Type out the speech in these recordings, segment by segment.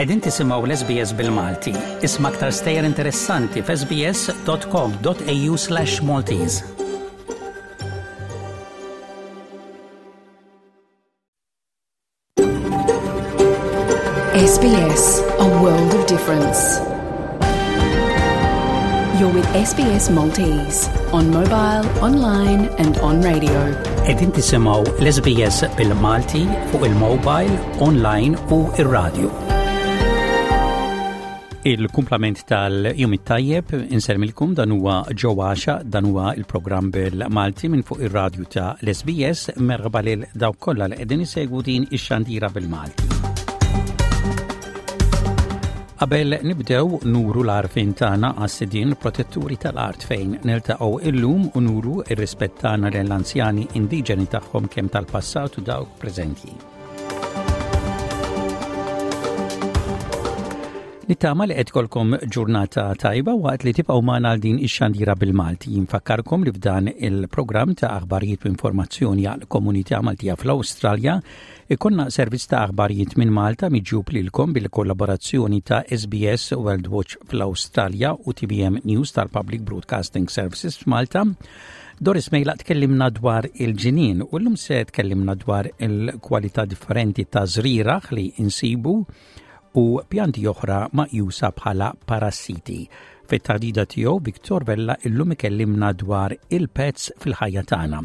Qegħdin tisimgħu l-SBS bil-Malti. Isma' aktar stejjer interessanti f'sbs.com.au/Maltese. SBS, a world of difference. You're with SBS Maltese on mobile, online and on radio. Edin tisimaw l-SBS bil-Malti fuq il-mobile, online u ir-radio. Il-kumplament tal-jum it-tajjeb inselmilkom dan huwa ġo għaxa dan huwa il-programm bil-Malti minn fuq ir-radju ta' l-SBS merħba lil dawk kollha li qegħdin isegwu din ix-xandira bil-Malti. Qabel nibdew nuru l-għarfien tagħna għas-sidien protetturi tal-art fejn niltaqgħu illum u nuru ir-rispett tagħna lill-anzjani indiġeni tagħhom kemm tal-passat u dawk preżenti. Nittama li qed kolkom ġurnata tajba waqt li tibqgħu magħna għal din ix-xandira bil-Malti. Jinfakkarkom li f'dan il-programm ta' aħbarijiet u informazzjoni għal komunità Maltija fl-Awstralja ikonna servizz ta' aħbarijiet minn Malta miġjub lilkom bil-kollaborazzjoni ta' SBS World Watch fl-Awstralja u TVM News tal-Public Broadcasting Services f'Malta. Doris Mejla tkellimna dwar il-ġinien u llum se tkellimna dwar il-kwalità differenti ta' żrieraħ li insibu u pjanti oħra maqjusa bħala parassiti. Fit-taħdida tiegħu Victor Vella illum ikellimna dwar il-pets fil-ħajja tagħna.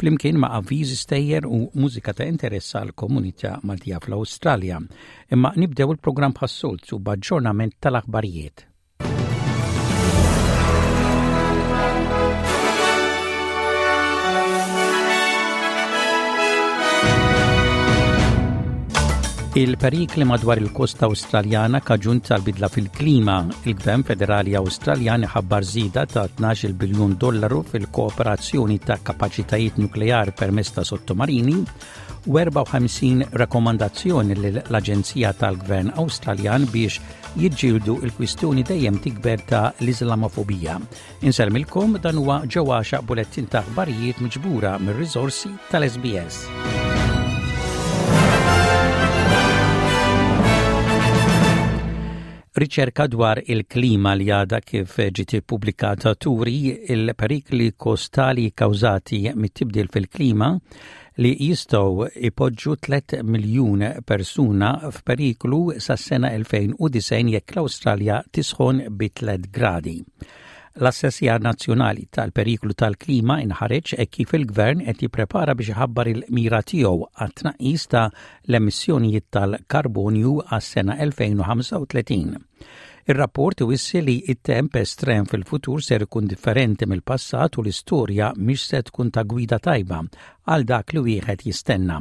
Flimkien ma' avviżi stejjer u mużika ta' interess għal komunità Maltija fl-Awstralja. Imma nibdew il-programm bħas-soltu b'aġġornament tal-aħbarijiet. Il-perikli madwar il-kosta Awstraljana kaġun tal-bidla fil-klima. Il-Gvern Federali Awstraljan iħabbar żieda ta' 12 biljun dollaru fil-kooperazzjoni ta' kapaċitajiet nukleari permezz ta' sottomarini u 54 rakkomandazzjoni lill-Aġenzija tal-Gvern Awstraljan biex jiġġieldu l-kwistjoni dejjem tikber ta' l-Iżlamofobija. Insellmilkom dan huwa ġewwa xaq bulettin ta' aħbarijiet miġbura mir-riżorsi tal-SBS. Riċerka dwar il-klima li għadha kif ġiet ippubblikata turi il-perikli kostali kkawżati mit-tibdil fil-klima li jistgħu jpoġġu 3 miljun persuna f'periklu sas-sena 2090 jekk l-Awstralja tisħon bi 3 gradi. L-assessjar nazzjonali tal-periklu tal-klima inħareġ hekk kif il-Gvern qed jipprepara biex iħabbar il-mira tiegħu għat-tnaqqis ta' l-emissjonijiet tal-karbonju għas-sena 2035. Ir-rapport iwissi li t-temp estrem fil-futur ser ikun differenti mill-passat u l-istorja mhix se tkun ta' gwida tajba għal dak li wieħed jistenna.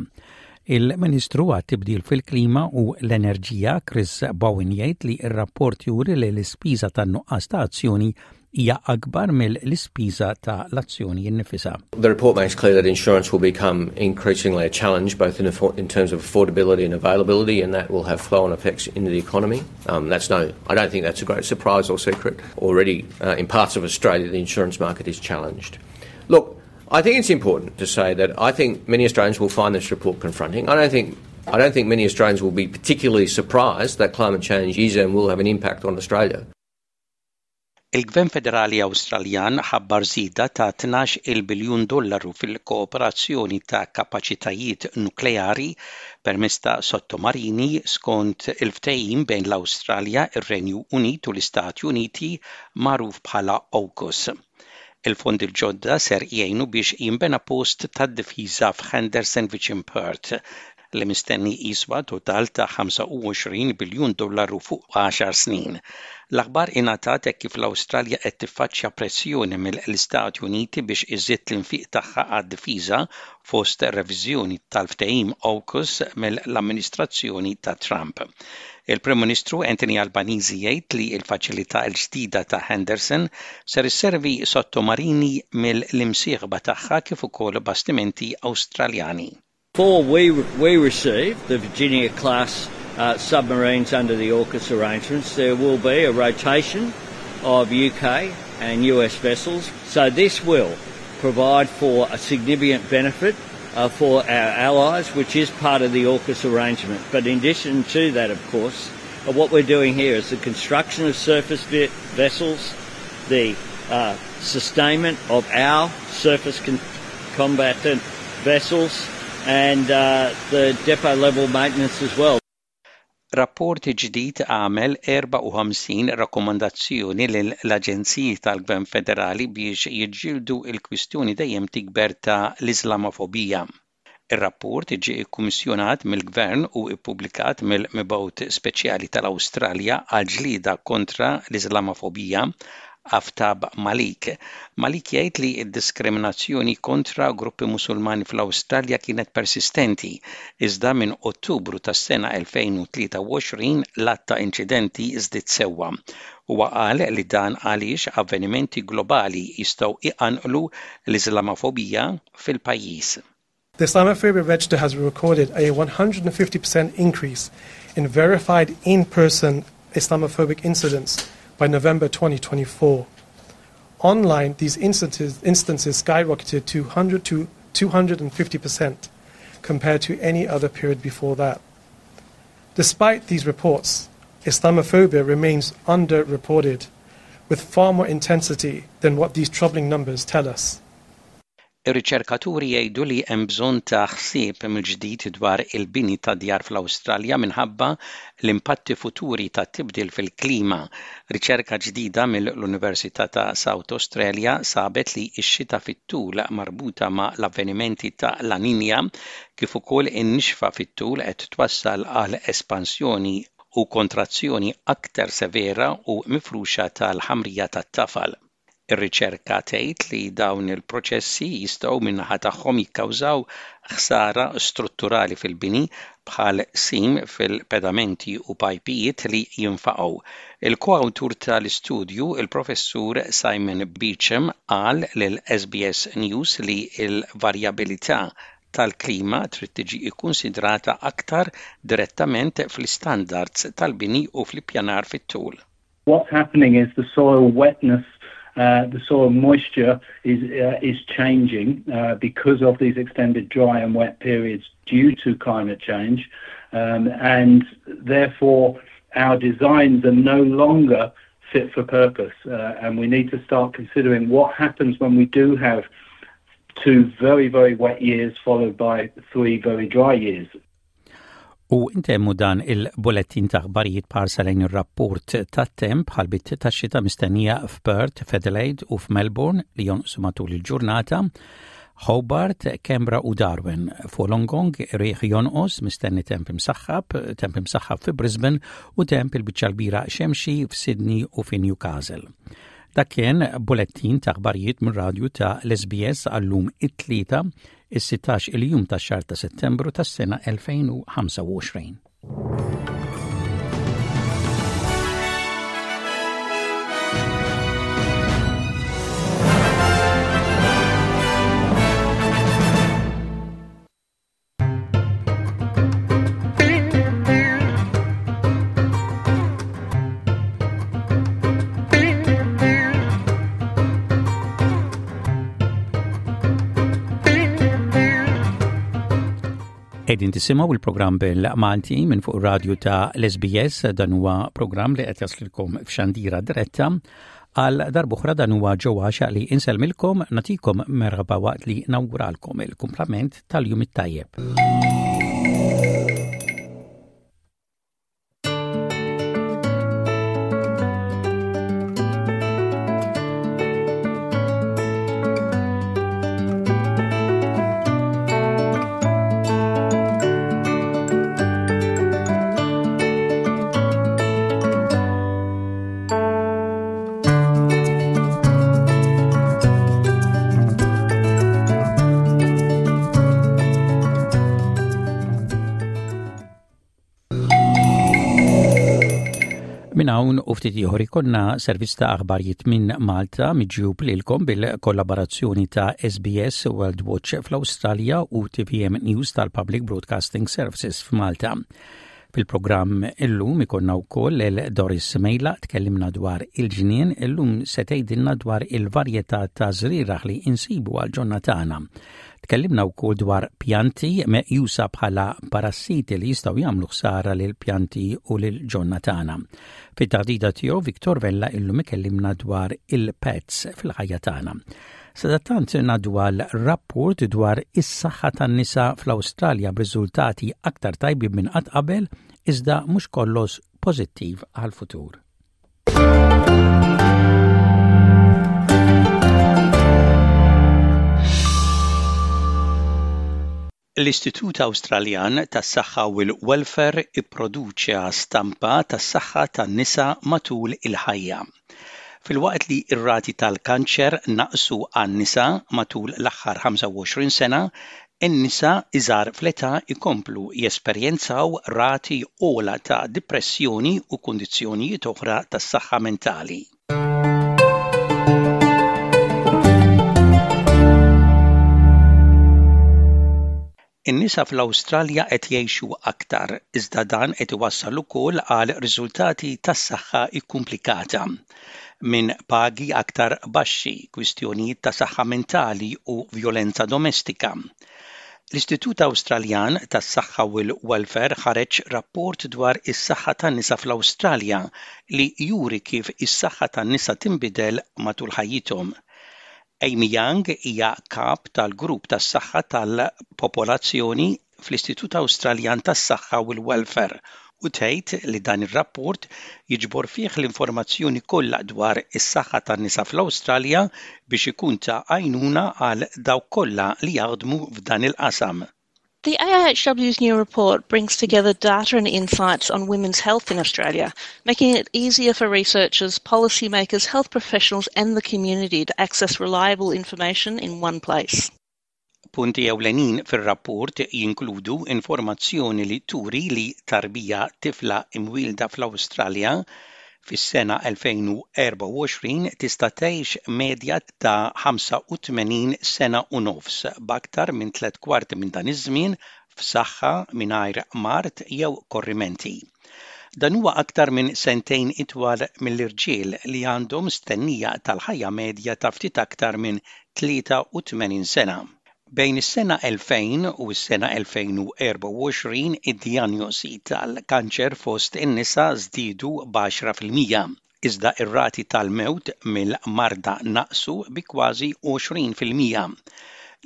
Il-Ministru għat-Tibdil fil-Klima u l-Enerġija Chris Bowen jgħid li r-rapport juri li l-ispiża tan-nuqqas ta' azzjoni hija akbar mill-ispiża ta' l-azzjoni nnifisha. The report makes clear that insurance will become increasingly a challenge both in, in terms of affordability and availability and that will have flow-on effects into the economy. Um, that's no, I don't think that's a great surprise or secret. Already uh, in parts of Australia the insurance market is challenged. Look, I think it's important to say that I think many Australians will find this report confronting. I don't think I don't think many Australians will be particularly surprised that climate change is and will have an impact on Australia. Il-Gvern Federali Awstraljan ħabbar żieda ta' 12-il biljun dollaru fil-kooperazzjoni ta' kapaċitajiet nukleari permezz ta' sottomarini skont il-ftehim bejn l-Awstralja, ir-Renju Unit u l-Istati Uniti magħruf bħala AUKUS. Il-fondi l-ġodda ser jgħinu biex jinbena post tad-difiża f'Henderson viċin Perth, li mistenni jiswa total ta' 25 biljun dollaru fuq għaxar snin. L-aħbar ingħatat hekk kif l-Awstralja qed tiffaċċja pressjoni mill-Istati Uniti biex iżżid l-infiq tagħha għad-difiża fost reviżjoni tal-ftehim AUKUS mill-amministrazzjoni ta' Trump. Il-Prim Ministru Anthony Albanese jgħid li l-faċilità l-ġdida ta' Henderson ser isservi sottomarini mill-imsieħba tagħha kif ukoll bastimenti Awstraljani. Before we, we receive the Virginia class uh, submarines under the AUKUS arrangements, there will be a rotation of UK and US vessels. So this will provide for a significant benefit uh, for our allies, which is part of the AUKUS arrangement. But in addition to that, of course, of what we're doing here is the construction of surface vessels, the uh, sustainment of our surface con- combatant vessels, and uh, the depot level maintenance as well. Rapport ġdid għamel 54 rakkomandazzjoni lill-aġenziji tal-Gvern Federali biex jiġġieldu l-kwistjoni dejjem tikber ta' l-Iżlamofobija. Ir-rapport ġie kkummissjonat mill-Gvern u ppubblikat mill-Mibgħut Speċjali tal-Awstralja għall-ġlieda kontra l-Iżlamofobija, Aftab Malik. Malik jgħid li d-diskriminazzjoni kontra gruppi Musulmani fl-Awstralja kienet persistenti, iżda minn Ottubru tas-sena 2023 l-għadd ta' inċidenti żdied sewwa. Huwa qal li dan għaliex avvenimenti globali jistgħu iqanqlu l-Iżlamofobija fil-pajjiż. The Islamophobia Register has recorded a 150% increase in verified in-person Islamophobic incidents by November 2024. Online, these instances, instances skyrocketed to 100 to 250% compared to any other period before that. Despite these reports, Islamophobia remains underreported, with far more intensity than what these troubling numbers tell us. Ir-riċerkaturi jgħidu li hemm bżonn ta' ħsieb mill-ġdid dwar il-bini ta' djar fl-Awstralja minħabba l-impatti futuri tat-tibdil fil-klima. Riċerka ġdida mill-Università ta' South Australia sabet li x-xita fit-tul marbuta ma' l-avvenimenti ta' La Niña kif ukoll in-nixfa fit-tul qed twassal għal espansjoni u kontrazzjoni aktar severa u mifruxa tal-ħamrija tat-tafal. Ir-riċerka tgħid li dawn il-proċessi jistgħu min-naħa tagħhom jikkawżaw ħsara strutturali fil-bini bħal qsim fil-pedamenti u pajpijiet li jinfaqgħu. Il-koawtur tal-istudju, il-Professur Simon Beecham qal lil SBS News li l-varjabilità tal-klima trid tiġi kkunsidrata aktar direttament fl-istandards tal-bini u fl-ippjanar fit-tul. What's happening is the soil wetness uh, the soil moisture is, uh, is changing uh, because of these extended dry and wet periods due to climate change. Um, and therefore, our designs are no longer fit for purpose. Uh, and we need to start considering what happens when we do have two very, very wet years followed by three very dry years. U intemmu dan il-bulettin ta' aħbarijiet b'ħarsa lejn ir-rapport tat-temp b'ħalbiet tax-xita mistennija f'Perth, f'Adelaide u f'Melbourne li jonqsu matul il-ġurnata, Hobart, Canberra u Darwin. F'Wollongong riħ jonqos mistenni temp imsaħħab, temp imsaħħab fi Brisbane u temp il-biċċa l-kbira xemxi f'Sydney u fi Newcastle. Dak kien bulettin ta' aħbarijiet mir-radju ta' l-SBS għallum it-tlieta is-16 il-jum tax-xahar ta' Settembru tas-sena 2025. Qegħdin tisimgħu il-programm bil-Malti minn fuq radju ta' l-SBS dan huwa programm li qed jaslilkom f'xandira diretta għal darbuħra dan huwa ġewwa li insellmilkom natikom merħba waqt li nawguralkom il-kumplament tal-jum it-tajjeb. Minn hawn u ftit ieħor ikollna servizz ta' aħbarijiet minn Malta miġjub lilkom bil-kollaborazzjoni ta' SBS World Watch fl-Awstralja u TVM News tal-Public Broadcasting Services f'Malta. Fil-programm illum ikollna wkoll lil Doris Mejla tkellimna dwar il-ġnien, illum se tgħidilna dwar il-varjetà ta' żrieragħ li insibu għal ġonna tagħna. Tkellimna wkoll dwar pjanti meqjusa bħala parassiti li jistgħu jagħmlu ħsara lil pjanti u lil ġonna tagħna. Fit-taħdita tiegħu Victor Vella illum ikellimna dwar il-pets fil-ħajja tagħna. Sadattant ngħaddu għal rapport dwar is-saħħa tan-nisa fl-Awstralja b'riżultati aktar tajbin minn qatt qabel iżda mhux kollox pożittiv għall-futur. L-Istitut Awstraljan tas-Saħħa u l-Welfare ipproduċa stampa tas-saħħa tan-nisa matul il-ħajja. Filwaqt li r-rati tal-kanċer naqsu għan-nisa matul l-aħħar 25 sena, in-nisa iżgħar fl-età jkomplu jesperjenzaw rati ogħla ta' dipressjoni u kundizzjonijiet oħra tas-saħħa mentali. In-nisa fl-Awstralja qed jgħixu aktar, iżda dan qed iwassal ukoll għal riżultati tas-saħħa kkumplikata. Minn pagi aktar baxxi, kwistjonijiet ta' saħħa mentali u vjolenza domestika. L-Istitut Awstraljan tas-Saħħa u l-Welfare ħareġ rapport dwar is-saħħa tan-nisa fl-Awstralja li juri kif is-saħħa tan-nisa tinbidel matul ħajjithom. Amy Young hija kap tal-grupp tas-saħħa tal-popolazzjoni fl-Istitut Awstraljan tas-Saħħa u l-Welfare u tgħid li dan ir-rapport jiġbor fih l-informazzjoni kollha dwar is-saħħa tan-nisa fl-Awstralja biex ikun ta' għajnuna għal dawk kollha li jaħdmu f'dan il-qasam. The AIHW's new report brings together data and insights on women's health in Australia, making it easier for researchers, policymakers, health professionals and the community to access reliable information in one place. Punti ewlenin fir-rapport jinkludu informazzjoni li turi li tarbija tifla imwielda fl-Awstralja fis-sena 2024 tista' tgħix medja ta' 85 sena u nofs, b'aktar minn tliet kwarti minn dan iż-żmien f'saħħa mingħajr mard jew korrimenti. Dan huwa aktar minn sentejn itwal mill-irġiel li għandhom stennija tal-ħajja medja ta' ftit aktar minn 83 sena. Bejn is-sena 2000 u s-sena 2024 id-dijanjosi tal-kanċer fost in-nisa żdiedu b'10%, iżda r-rati tal-mewt mill-marda naqsu bi kważi 20%.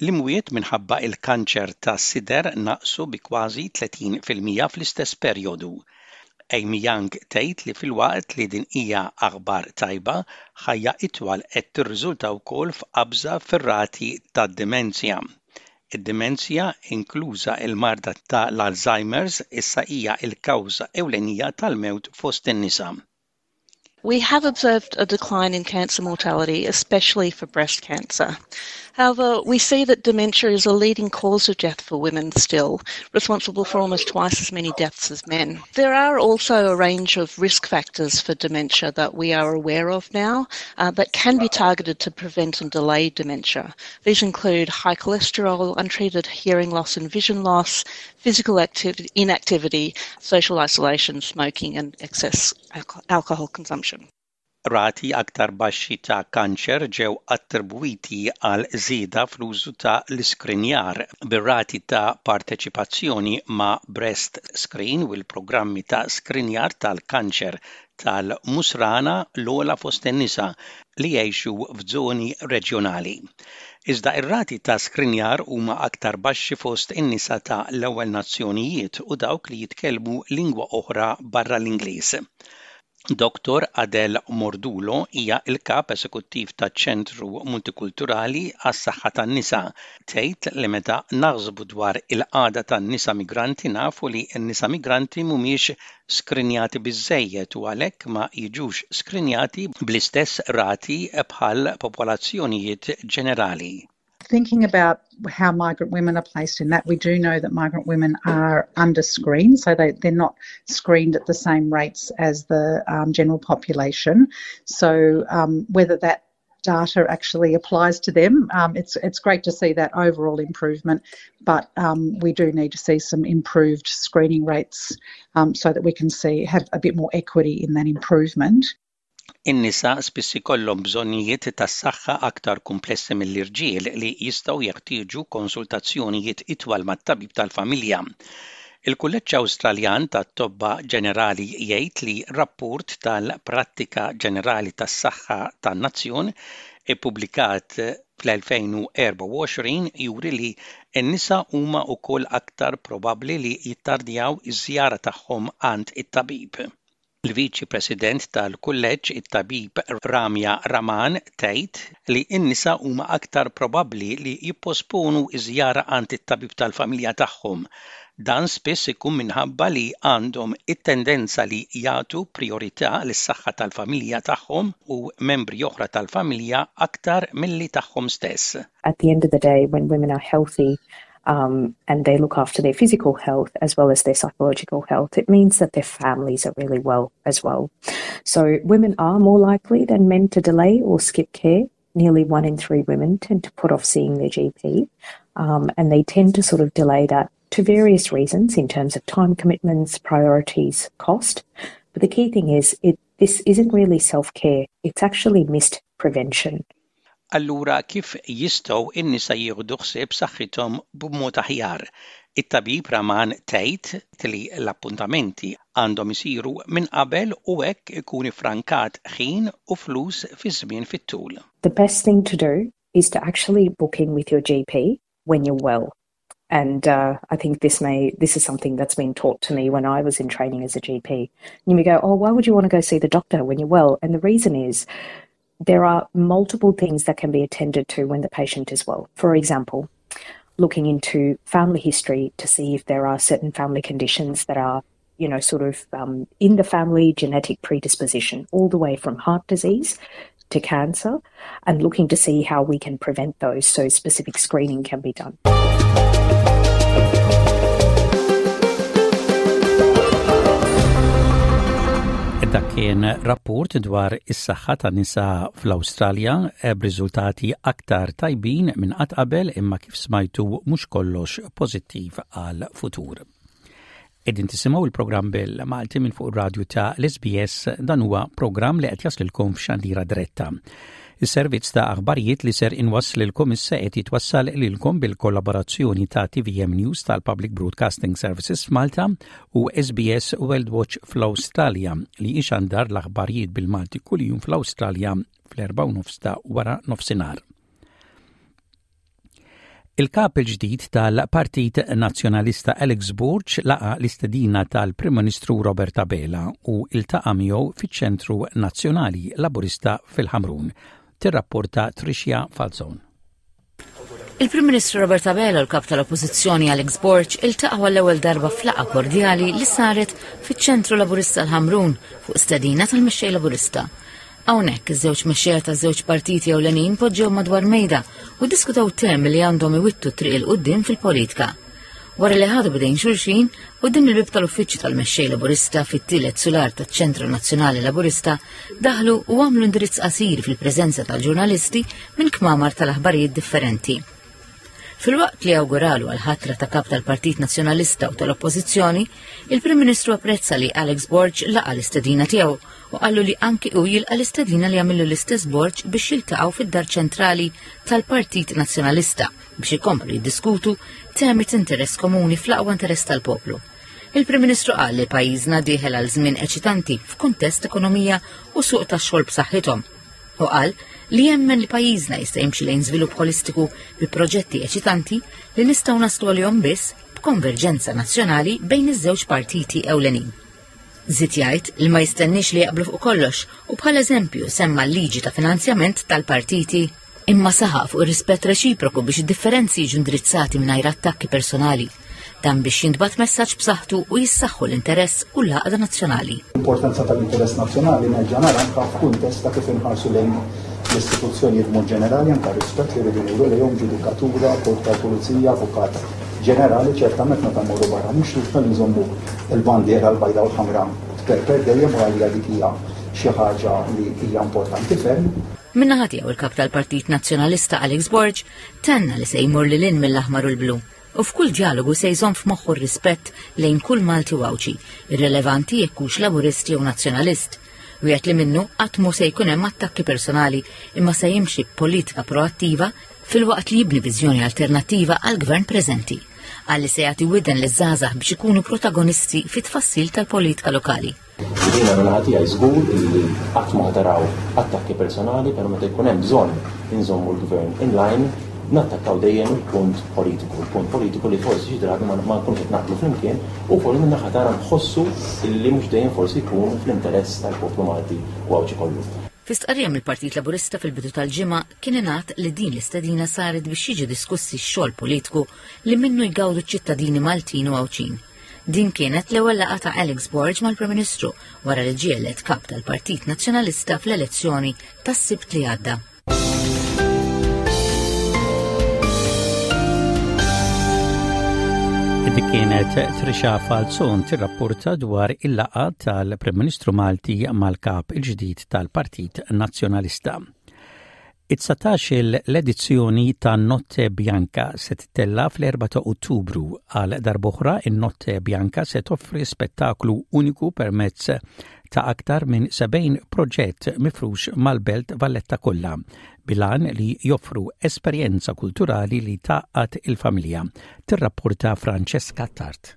L-imwiet minħabba l-kanċer tas-sider naqsu bi kważi 30% fl-istess perjodu. Amy Young tgħid li filwaqt li din hija aħbar tajba, ħajja itwal qed tirriżulta wkoll f'qabża fir-rati tad-dimenzja. Id-dimenzja, inkluża l-marda ta' l-Alzheimer's, issa hija l-kawża ewlenija tal-mewt fost in-nisa. We have observed a decline in cancer mortality, especially for breast cancer. However, we see that dementia is a leading cause of death for women still, responsible for almost twice as many deaths as men. There are also a range of risk factors for dementia that we are aware of now uh, that can be targeted to prevent and delay dementia. These include high cholesterol, untreated hearing loss and vision loss, physical activity, inactivity, social isolation, smoking, and excess alcohol consumption. Rati aktar baxxi ta' kanċer ġew attribwiti għal żieda fl-użu ta' l-iskrinjar, bir-rati ta' parteċipazzjoni ma' Breast Screen u l-programmi ta' skrinjar tal-kanċer tal-musrana l-ogħla fost in-nisa li jgħixu f'żoni reġjonali. Iżda r-rati ta' skrinjar huma aktar baxxi fost in-nisa ta' l-ewwel nazzjonijiet u dawk li jitkellmu lingwa oħra barra l-Ingliż. Dottor Adele Mordulo hija l-Kap Esekuttiv taċ-Ċentru Multikulturali għas-Saħħa tan-Nisa. Tgħid li meta naħsbu dwar il-qagħda tan-nisa migranti nafu li n-nisa migranti mhumiex skrinjati biżżejjed u għalhekk ma jiġux skrinjati bl-istess rati bħal popolazzjonijiet ġenerali. Thinking about how migrant women are placed in that, we do know that migrant women are under screened, so they, they're not screened at the same rates as the um, general population. So um, whether that data actually applies to them. Um, it's it's great to see that overall improvement, but um, we do need to see some improved screening rates um, so that we can see have a bit more equity in that improvement. In-nisa spiss ikollhom bżonnijiet tas-saħħa aktar kumplessi mill-irġiel li jistgħu jeħtieġu konsultazzjonijiet itwal mat-tabib tal-familja. Il-Kulleġġ Awstraljan tat-Tobba Ġenerali jgħid li rapport tal-Prattika Ġenerali tas-Saħħa tan-Nazzjon ippubblikat fl-2024 juri li n-nisa huma wkoll aktar probabbli li jittardjaw iż-żjara tagħhom għand it-tabib. Il-Viċi President tal-Kulleġġ, it-Tabib Ramya Raman tgħid li n-nisa huma aktar probabbli li jipposponu ż-żjara għand it-tabib tal-familja tagħhom. Dan spiss ikun minħabba li għandhom it-tendenza li jagħtu prijorità lis-saħħa tal-familja tagħhom u membri oħra tal-familja aktar milli tagħhom stess. At the end of the day, when women are healthy, um, and they look after their physical health as well as their psychological health, it means that their families are really well as well. So women are more likely than men to delay or skip care. Nearly one in three women tend to put off seeing their GP, um, and they tend to sort of delay that to various reasons in terms of time commitments, priorities, cost. But the key thing is it this isn't really self-care, it's actually missed prevention. Allura kif jistgħu n-nisa jieħdu ħsieb saħħithom b'mod aħjar? It-tabib Raman tgħid li l-appuntamenti għandhom isiru minn qabel u hekk ikun iffrankat ħin u flus fi żmien fit-tul. The best thing to do is to actually book in with your GP when you're well. And uh, I think this may this is something that's been taught to me when I was in training as a GP. And you may go, oh, why would you want to go see the doctor when you're well? And the reason is there are multiple things that can be attended to when the patient is well. For example, looking into family history to see if there are certain family conditions that are you know, sort of um, in the family genetic predisposition, all the way from heart disease to cancer, and looking to see how we can prevent those so specific screening can be done. Dak kien rapport dwar is-saħħa tan nisa fl-Awstralja eh, b'riżultati aktar tajbin minn qatt qabel imma kif smajtu mhux kollox pożittiv għal futur. Qegħdin tisimgħu il-programm bil-Malti minn fuq ir-radju ta' l-SBS dan huwa programm li qed jaslilkom f'xandira diretta. Is-servizz ta' aħbarijiet li ser inwasslilkom issa qed jitwassal lilkom bil-kollaborazzjoni ta' TVM News tal-Public Broadcasting Services f'Malta u SBS World Watch fl-Awstralja li ixandar l-aħbarijiet bil-Malti kuljum fl-Awstralja fl-4 nofs ta' wara nofsinhar. Il-kap il-ġdid tal-Partit Nazzjonalista Alex Borg laqa l-istedina tal-Prim Ministru Robert Abela u iltaqa' miegħu fiċ-Ċentru Nazzjonali Laburista fil-Ħamrun. Tirrapporta Tricia Falzon. Il-Prim Ministru Robert Abela u l-Kap tal-Oppożizzjoni Alex Borg iltaqgħu għall-ewwel darba f'laqgħa kordjali li saret fiċ-Ċentru Laburista l-Ħamrun fuq stedina tal-Mexxej Laburista. Hawnhekk iż-żewġ mexxejja taż-żewġ partiti ewlenin poġġew madwar mejda u ddiskutew temi li għandhom iwittu triq il quddiem fil-politika. Wara li ħadu bidejn xulxin, quddiem il-bib tal-uffiċċju tal-mexxej Laburista fit-tielet sular taċ-Ċentru Nazzjonali Laburista daħlu u għamlu indirizz qasir fil-preżenza tal-ġurnalisti minn kmamar tal-aħbarijiet differenti. Filwaqt li awguralu għal ħatra ta' kap tal-Partit Nazzjonalista u tal-Oppożizzjoni, il-Prim Ministru apprezza li Alex Borg laqa l-istedina tiegħu u qallu li anki hu jilqa' l-istedina li għamillu l-istess Borg biex jiltaqgħu fid-dar ċentrali tal-Partit Nazzjonalista biex ikomplu jiddiskutu temi t'interess komuni fl-aqwa interess tal-poplu. Il-Prim Ministru qal li pajjiżna dieħel għal żmien eċitanti f'kuntest ekonomija u suq tax-xogħol b'saħħithom. U qal li jemmen li pajjiżna jista' jimxi lejn żvilupp holistiku bi proġetti eċitanti li nistgħu naslu għalihom biss b'konverġenza nazzjonali bejn iż-żewġ partiti ewlenin. Żied jgħid li ma jistenniex li jaqblu fuq kollox u bħala eżempju semma l-liġi ta' finanzjament tal-partiti. Imma saħaq fuq ir-rispett reċiproku biex id-differenzi jiġu indirizzati mingħajr attakki personali. Dan biex jintbagħat messaġġ b'saħħtu u jissaħħu l-interess u l-għaqda nazzjonali. L-importanza tal-interess nazzjonali nerġa' nara anke f'kuntest ta' kif inħarsu lejn l-istituzzjonijiet mod ġenerali anke rispett li rridu nuru lejhom ġudikatura, korp tal-pulizija, avukat ġenerali, ċertament meta mmorru barra mhux li nżommu l-bandiera l-bajda u l-ħamra tperper dejjem u għalija dik hija xi ħaġa li hija importanti ferm. Min-naħa tiegħu il-Kap tal-Partit Nazzjonalista Alex Borg tenna li se jmur lil hinn mill-aħmar u l-blu u f'kull djalogu se jżomm f'moħħu r-rispett lejn kull Malti u Għawdxi, irrelevanti jekk hux Laburist jew Nazzjonalist. Wieħed li minnu qatt mhu se jkun hemm attakki personali imma se jimxi b'politika proattiva filwaqt li jibni viżjoni alternattiva għall-gvern preżenti. Qal li se jagħti widen liż-żgħażagħ biex ikunu protagonisti fit-tfassil tal-politika lokali. Jiena minn naħa tiegħi żgur illi qatt ma taraw attakki personali, però meta jkun hemm bżonn inżommu l-gvern in line, nattakkaw dejjem il-punt politiku, il-punt politiku li forsi xi drabi ma nkunux qed naqblu flimkien u wkoll min-naħa tagħna nħossu illi mhux dejjem forsi jkun fl-interess tal-poplu Malti u Għawdxi kollu. Fi stqarrija mill-Partit Laburista fil-bidu tal-ġimgħa kien ingħad li din l-istedina saret biex jiġu diskussi x-xogħol politiku li minnu jgawdu ċ-ċittadini Maltin u Għawdxin. Din kienet l-ewwel laqgħa ta' Alex Borg mal-Prim Ministru wara li ġie elett kap tal-Partit Nazzjonalista fl-elezzjoni tas-Sibt li għadda. Dik kienet Trisha Falzon tirrapporta dwar il-laqgħa tal-Prim Ministru Malti mal-kap il-ġdid tal-Partit Nazzjonalista. It-dsatax-il l-edizzjoni ta' Notte Bianca se tittella' fl-4 ta' Ottubru. Għal darb'oħra in-Notte Bianca se toffri spettaklu uniku permezz ta' aktar minn 70 proġett mifrux mal-Belt Valletta kollha, bil-għan li joffru esperjenza kulturali li tgħaqqad il-familja, tirrapporta Francesca Attard.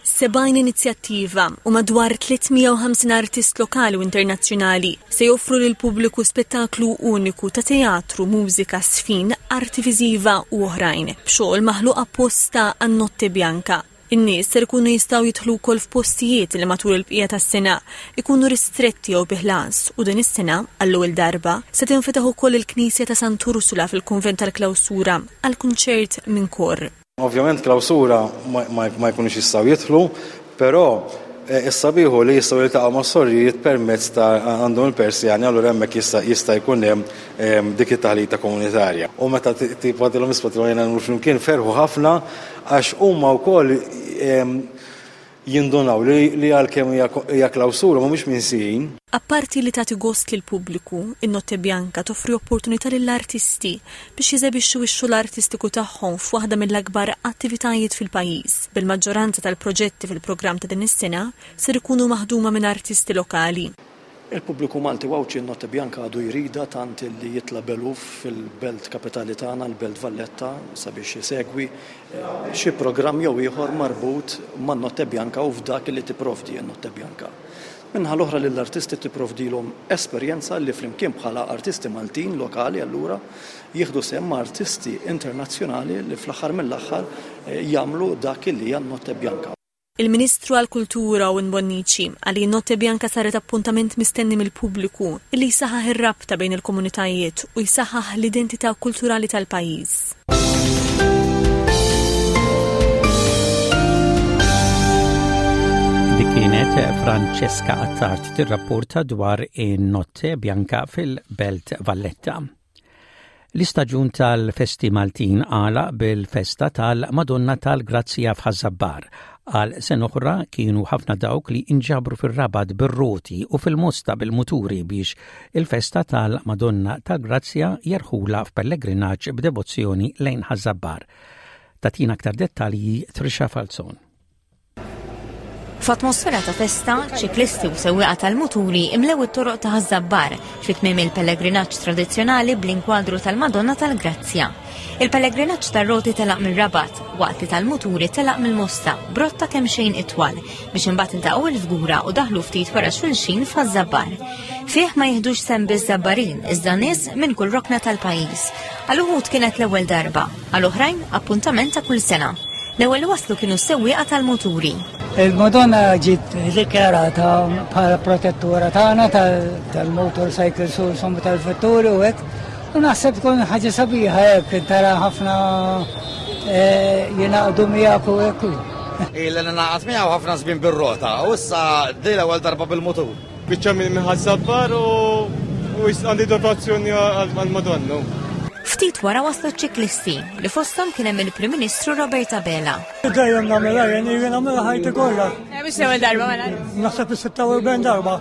70 inizjattiva u madwar 350 artist lokali u internazzjonali se joffru lill-pubbliku spettaklu uniku ta' teatru, mużika, żfin, arti viżiva u oħrajn, b'xogħol maħluq apposta għan-Notte Bianca. In-nies ser ikunu jistgħu jidħlu wkoll f'postijiet li matul il-bqija tas-sena ikunu ristretti jew bi ħlas u din is-sena, għall-ewwel darba, se tinfetaħ ukoll il-Knisja ta' Sant'Ursula fil-Kunvent tal-Klawsura għal kunċert minn kor. Ovvjament klawsura ma jkunux jistgħu jidħlu, però is-sabiħ hu li jistgħu jiltaqgħu mas-sorijiet permezz ta' għandhom il-persjani allura hemmhekk jista' jkun hemm dik it-taħlita komunitarja. U meta tipo għadilhom isma' tilhom ejja nagħmlu flimkien ferħu ħafna għax huma wkoll Jindunaw li li għalkemm hija hija klawsura mhumiex minsijin. Apparti li tagħti gost lill-pubbliku, in-Notte Bianca toffri opportunità lill-artisti biex jeżebixxu x-xogħol artistiku tagħhom f'waħda mill-akbar attivitajiet fil-pajjiż, bil-maġġoranza tal-proġetti fil-programm ta' din is-sena ser ikunu maħduma minn artisti lokali. Il-pubbliku Malti u Għawdxi n-Notte Bianca għadu jridha tant li jitla' b'eluf fil-belt kapitali tagħna, l-Belt Valletta, sabiex isegwi xi programm jew ieħor marbut man-Notte Bianca u f'dak li tipprovdi n-Notte Bianca. Min-naħa l-oħra lill-artisti tipprovdilhom esperjenza li flimkien bħala artisti Maltin lokali allura jieħdu sehem ma' artisti internazzjonali li fl-aħħar mill-aħħar jagħmlu dak li hija n-Notte Bianca. Il-Ministru għall-Kultura Owen Bonnici qal li Notte Bianca saret appuntament mistenni mill-pubbliku illi jsaħħaħ ir-rabta bejn il-komunitajiet u jsaħħaħ l-identità kulturali tal-pajjiż. Dik kienet Francesca Attard tirrapporta dwar in-Notte Bianca fil-Belt Valletta. L-istaġun tal-festi Maltin għalaq bil-festa tal-Madonna tal-Grazzja f'Ħaż-Żabbar. Għal sena oħra kienu ħafna dawk li inġabru fir-Rabat bir-roti u fil-Mosta bil-muturi biex il-festa tal-Madonna tal-Grazzja jerħulha f'pellegrinaġġ b'devozzjoni lejn Ħaż-Żabbar. Tagħtina aktar dettalji Trisha Falzon. F'atmosfera ta' festa, ċiklisti u sewwieqa tal-muturi imlew it-toroq ta' Ħaż-Żabbar fi tmiem il-pellegrinaġġ tradizzjonali bl-inkwadru tal-Madonna tal-Grazzja. Il-pellegrinaġġ tar-roti telaq mir-Rabat, waqt li tal-muturi telaq mill-Mosta, b'rotta kemxejn itwal, biex imbagħad iltaqgħu il-Fgura u daħlu ftit wara xulxin f'Ħaż-Żabbar. Fih ma jiħdux sehem biss Żabbarin, iżda nies minn kull rokna tal-pajjiż. Għal uħud kienet l-ewwel darba, għal oħrajn appuntament ta' kull sena. L-ewwel li waslu kienu s-sewwieqa tal-muturi. Il-Madonna ġiet dikjarata bħala protettura tagħna tal-motorcycles u insomma tal-vetturi u hekk. U naħseb tkun ħaġa sabiħa hekk tara ħafna eh, jingħaqdu miegħek u hekk. Illi ningħaqad miegħu ħafna żmien bir-rota u issa di l-ewwel darba bil-mutur. Biċċa minn Ħaż-Żabbar u għandi dotazzjoni għall-Madonna. Ftit wara waslu ċ-ċiklisti li fosthom kien hemm il-Prim Ministru Robert Abela. Dejjem nagħmilha jien jien nagħmilha ħajti kollha. Eh, mhux l-ewwel darba mela. Naħseb is-46 darba.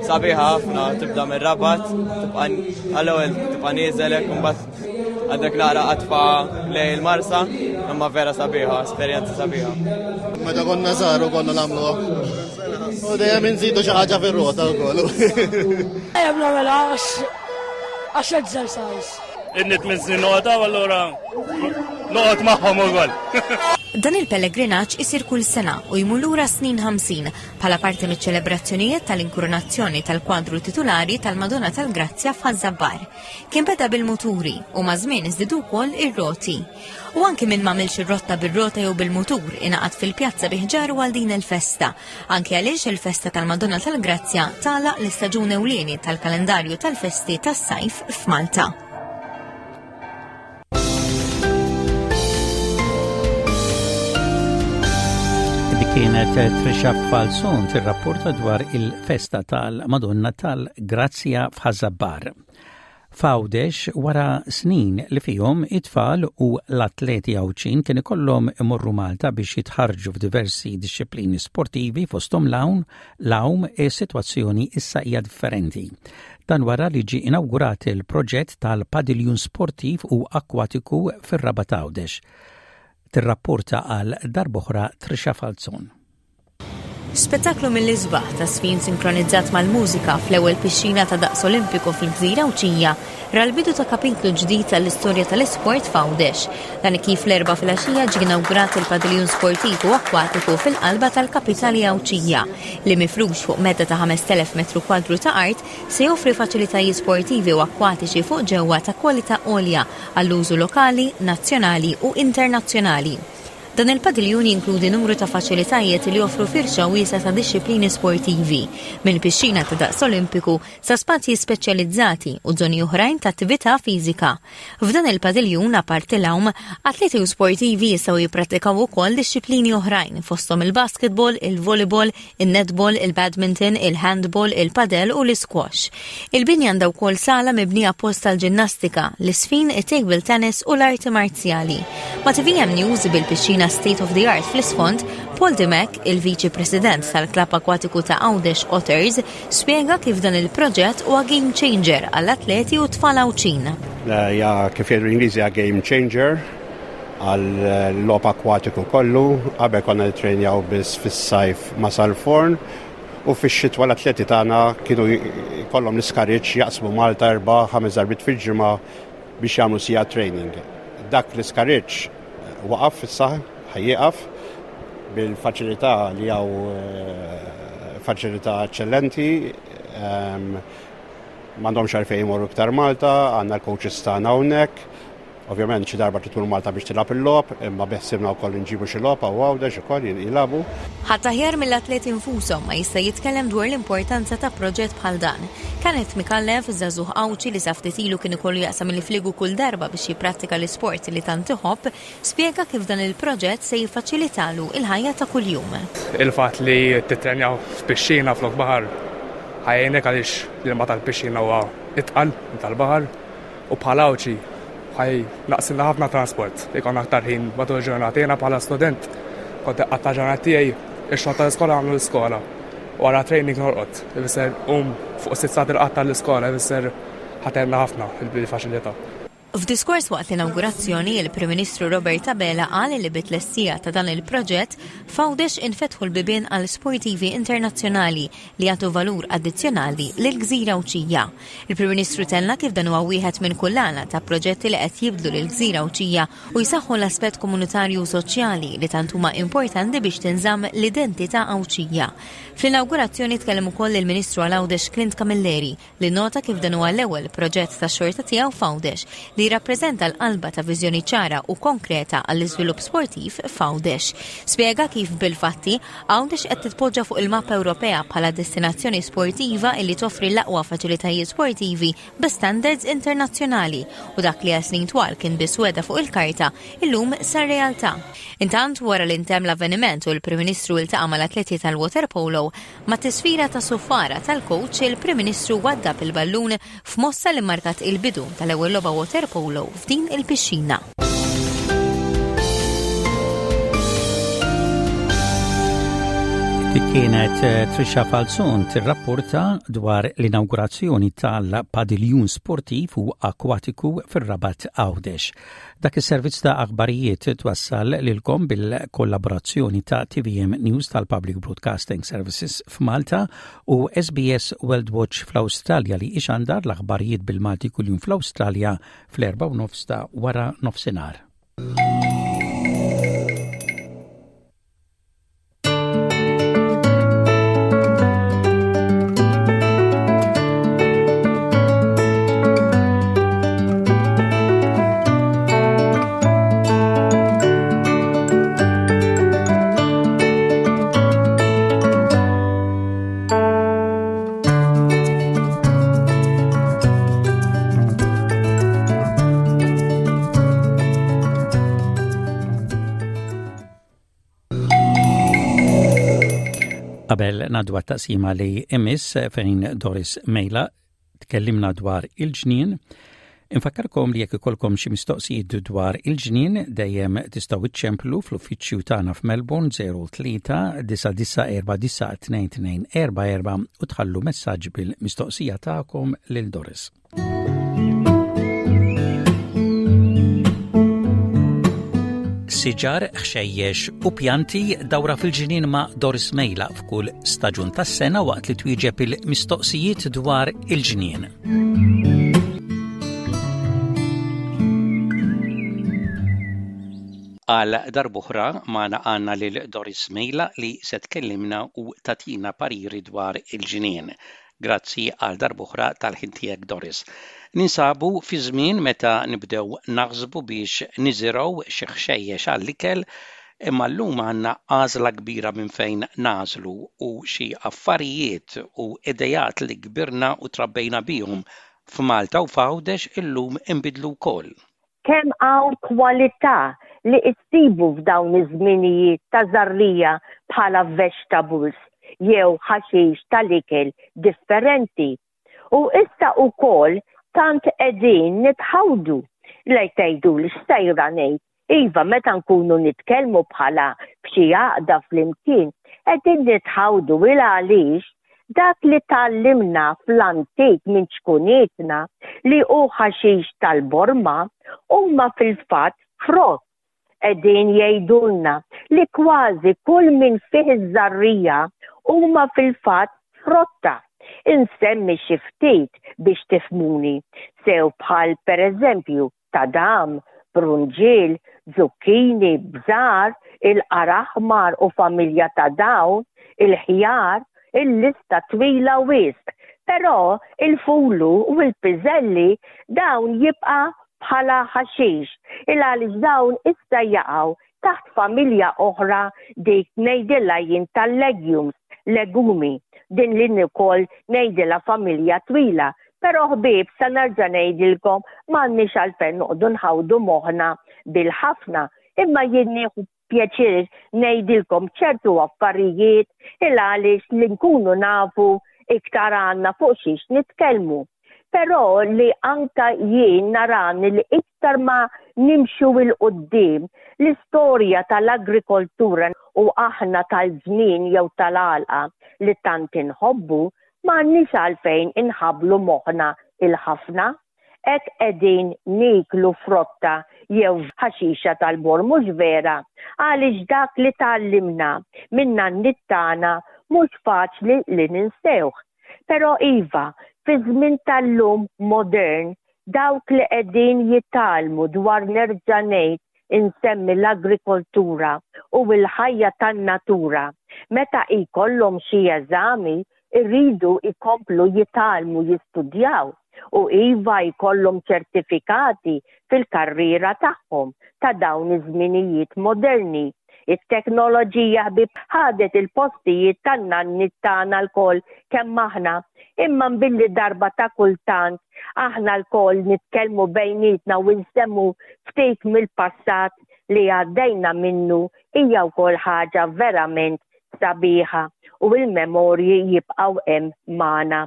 Sabiħa ħafna tibda mir-Rabat, tibqa' għall-ewwel tibqa' nieżel hekk imbagħad. Għandek naqra qatfa lejn il-Marsa, imma vera sabiħa, esperjenza sabiħa. Meta konna żgħar u konna nagħmluha. U dejjem inżidu xi ħaġa fir-rota wkoll. Dejjem nagħmilha għax exercise. Inni tmien snin noqgħod allura noqgħod magħhom ukoll. Dan il-pellegrinaġġ isir kull sena u jmur lura snin 50 bħala parti miċ-ċelebrazzjonijiet tal-inkurunazzjoni tal-kwadru titulari tal-Madonna tal-Grazzja f'Ħaż-Żabbar. Kien beda bil-muturi u maż-żmien żdiedu wkoll ir-roti. U anki min m'għamilx ir-rotta bir-rota jew bil-mutur ingħaqad fil-pjazza bi ħġaru għal din il-festa, anki għaliex il-festa tal-Madonna tal-Grazzja tagħlaq l-istaġun ewlieni tal-kalendarju tal-festi tas-sajf f'Malta. Dik kienet Trisha Falzon tirrapporta dwar il-festa tal-Madonna tal-Grazzja f'Ħaż-Żabbar. F'Għawdex, wara snin li fihom it-tfal u l-atleti Għawdxin kien ikollhom imorru Malta biex jitħarrġu f'diversi dixxiplini sportivi fosthom l-hawn, l-għawm, is-sitwazzjoni issa hija differenti. Dan wara li ġie inawgurat il-proġett tal-padiljun sportiv u akkwatiku fir-Rabat Għawdex. Tirrapporta għal darb'oħra Trisha Falzon. Spettaklu mill-isbaħ ta' żfin sinkronizzat mal-mużika fl-ewwel pixxina ta' daqs Olimpiku fil-gżira Għawdxija ra l-bidu ta' kapitlu ġdid għall-istorja tal-isport f'Għawdex. Dan kif l-Erbgħa filgħaxija ġie inawgurat il-padiljun sportiv u akkwatiku fil-qalba tal-kapitali Għawdxija, li mifrux fuq medda ta' 5,000 metru kwadru ta' art se joffri faċilitajiet sportivi u akkwatiċi fuq ġewwa ta' kwalità għolja għall-użu lokali, nazzjonali u internazzjonali. Dan il-padiljun jinkludi numru ta' faċilitajiet li joffru firxa wiesgħa ta' dixxiplini sportivi, minn pixxina ta' daqs Olimpiku sa spazji speċjalizzati u żoni oħrajn ta' attività fiżika. F'dan il-padiljun, apparti l-għawm, atleti u sportivi jistgħu jipprattikaw ukoll dixxiplini oħrajn fosthom il-basketball, il-volleyball, in-netball, il-badminton, il-handball, il-padel u l-isquash. Il-binja għandha wkoll sala mibnija apposta għall-ġinnastika, l-iżfin, it-table tennis u l-arti marzjali. Ma' tvm News bil-pixxina state of the art fl-isfond, Paul Dimech, il-Viċi President tal-Klabb Akwatiku ta' Għawdex Otters, spjega kif dan il-proġett huwa game changer għall-atleti u t-tfal Għawdxin. Ja kif jgħidu l-Ingliżi hija game changer għal-logħob akkwatiku kollu. Qabel konna nittrejnjaw biss fis-sajf ma' Sal-Forn u fix-xitwa l-atleti tagħna kienu jkollhom l-iskariġġ jaqsmu Malta erba' ħames darbiet fil-ġimgħa biex jagħmlu siegħa training. Dak l-iskariġġ waqaf issa, ħa jieqaf bil-faċilità li hawn eh, faċilità eċċellenti. Ehm, m'għandhomx għalfejn imorru iktar Malta, għandna l-coaches tagħna hawnhekk. Ovvjament xi darba trid tmur Malta biex tilgħab il-logħob, imma beħsiebna wkoll inġibu xi logħob hawn Għawdex ukoll jilagħbu. Ħadd aħjar mill-atleti nfushom ma jista' jitkellem dwar l-importanza ta' proġett bħal dan. Kenneth Micallef, żagħżugħ Għawdxi li sa ftit ilu kien ikollu jaqsam il-fliegu kull darba biex jipprattika l-isport li tant iħobb, spjega kif dan il-proġett se jiffaċilitalu l-ħajja ta' kuljum. Il-fatt li tittrenja f'pixxina flok baħar ħa jgħinek għaliex l-ilma tal-pixxina huwa itqal minn tal-baħar. U bħala Għawdxi ħa jnaqqsilna ħafna transport, ikollna aktar ħin matul il-ġurnata. Jiena bħala student kont inqatta' ġurnata tiegħi ix-xogħol tal-iskola nagħmlu l-iskola. Wara training norqod, ifisser qum fuq sitt sigħat irqad tal-iskola, ifisser ħa tgħinna ħafna il-faċilità. F'diskors waqt l-inawgurazzjoni, il-Prim Ministru Robert Abela qal li bit-tlestija ta' dan il-proġett, f'Għawdex infetħu l-bibien għal sportivi internazzjonali li jagħtu valur addizzjonali lill-gżira Għawdxija. Il-Prim Ministru tenna kif dan huwa wieħed minn kullana ta' proġetti li qed jibdlu lill-gżira Għawdxija u jsaħħu l-aspett komunitarju u soċjali li tant huma importanti biex tinżamm l-identità Għawdxija. Fl-inawgurazzjoni tkellem ukoll il-Ministru għal Għawdex Clint Camilleri li nnota kif dan huwa l-ewwel proġett tax-xorta tiegħu f'Għawdex li jirrappreżenta l-qalba ta' viżjoni ċara u konkreta għall-iżvilupp sportiv f'Għawdex. Spjega kif bil-fatti, Għawdex qed titpoġġa fuq il-mappa Ewropea bħala destinazzjoni sportiva illi toffri l-aqwa faċilitajiet sportivi bi standards internazzjonali u dak li għal snin twal kien biss wegħda fuq il-karta, illum sar realtà. Intant, wara li ntemm l-avveniment u l-Prim Ministru iltaqa' mal-atleti tal-waterpolo, mat-tisfira ta' suffara tal-kowċ, il-Prim Ministru waddab il-ballun f'mossa li mmarkat il-bidu tal-ewwel logħba waterpolo f'din il-pixxina. Dik kienet eh, Trisha Falzon tirrapporta dwar l-inawgurazzjoni tal-padiljun sportiv u akwatiku fir-Rabat Għawdex. Dak is-servizz ta' aħbarijiet twassal lilkom bil-kollaborazzjoni ta' TVM News tal-Public Broadcasting Services f'Malta u SBS World Watch fl-Awstralja li ixandar l-aħbarijiet bil-Malti kuljum fl-Awstralja fl-erba' u nofs ta' wara nofsinhar. Qabel ngħaddu għat-taqsima li imiss fejn Doris Mejla tkellimna dwar il-ġnien, Infakkarkom li jekk ikolkom xi mistoqsijiet dwar il-ġnien dejjem tistgħu iċċemplu fl-uffiċċju tagħna f'Melbourne 03 9949 2244 u tħallu messaġġ bil-mistoqsija tagħkom lil Doris. Siġar, ħxejjex u pjanti dawra fil-ġnien ma' Doris Mejla f'kull staġun tas-sena waqt li twieġeb il-mistoqsijiet dwar il-ġnien. Għal darb'oħra magħna għandna lil Doris Mejla li se tkellimna u tagħtina pariri dwar il-ġnien. Grazzi għal darb'oħra tal-ħin tiegħek Doris. Ninsabu fi żmien meta nibdew naħsbu biex niżirgħu xi ħxejjex għall-ikel, imma llum għandna għażla kbira minn fejn nagħżlu u xi affarijiet u ideat li kbirna u trabbejna bihom f'Malta u f'Għawdex illum inbidlu wkoll. Kemm hawn kwalità li issibu f'dawn iż-żminijiet ta' żarrija bħala vegetables jew ħaxix tal-ikel differenti. U issa ukoll tant qegħdin nitħawdu. Lej tgħiduli x'sejra ngħid Iva, meta nkunu nitkellmu bħala f'xi għaqda flimkien, qegħdin nitħawdu il għaliex dak li tgħallimna fl-antik minn ċkunietna li hu ħaxix tal-borma huma fil-fatt frott. Qegħdin jgħidulna li kważi kull min fih iż-żarrija huma fil-fatt frotta. Insemmi xi ftit biex tifhmuni, sew bħal pereżempju tadam, brunġiel, zucchini, bżar, il-qara aħmar u familja ta' dawn, il-ħjar, il-lista twila wisq. Però il-fulu u l-piżelli dawn jibqa' bħala ħaxix, il għaliex dawn issa jaqgħu taħt familja oħra dik ngħidilha jien tal-legumes, legumi, din li ukoll ngħidilha familja twila. Però ħbieb sa nerġa' ngħidilkom m'għandniex għalfejn noqogħdu nħawdu moħħna bil-ħafna, imma jien nieħu pjaċir ngħidilkom ċertu affarijiet il għaliex li nkunu nafu iktar għandna fuq xiex nitkellmu. Però li anka jien narani li iktar ma nimxu 'l quddiem, l-istorja tal-agrikoltura u aħna tal-ġnien jew tal-għalqa li tant inħobbu, m'għandniex għalfejn inħabblu moħħna il-ħafna. Hekk qegħdin nieklu frotta jew ħaxixa tal-borm mhux vera? Għaliex dak li tgħallimna min-nanniet tagħna mhux faċli li ninsewh. Però iva, fiż-żmien tal-lum modern, dawk li qegħdin jitgħallmu dwar nerġa' ngħid insemmi l-agrikoltura u l-ħajja tan-natura, meta jkollhom xi eżami jridu jkomplu jitgħallmu jistudjaw u iva jkollhom ċertifikati fil-karriera tagħhom ta' dawn iż-żminijiet moderni. It-teknoloġija ħbieb ħadet il-postijiet tan-nanniet tagħna lkoll kemm aħna, imma billi darba ta' kultant aħna lkoll nitkellmu bejnietna u nsemmu ftit mill-passat li għaddejna minnu hija wkoll ħaġa verament sabiħa u l-memorji jibqgħu hemm magħna.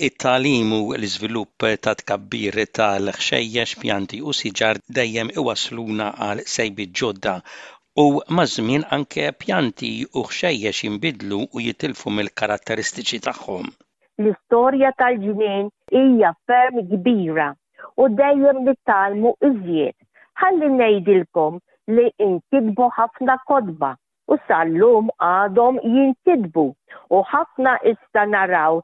It-tagħlim u l-iżvilupp ta' tkabbir tal-ħxejjex, pjanti u siġar dejjem iwassluna għal sejbiet ġodda. U maż-żmien anke pjanti u ħxejjex jinbidlu u jitilfu mill-karatteristiċi tagħhom. L-istorja tal-ġnien hija ferm kbira u dejjem nitgħallmu iżjed. Ħalli ngħidilkom li nkitbu ħafna kotba u sal-lum għadhom jinkitbu u ħafna issa naraw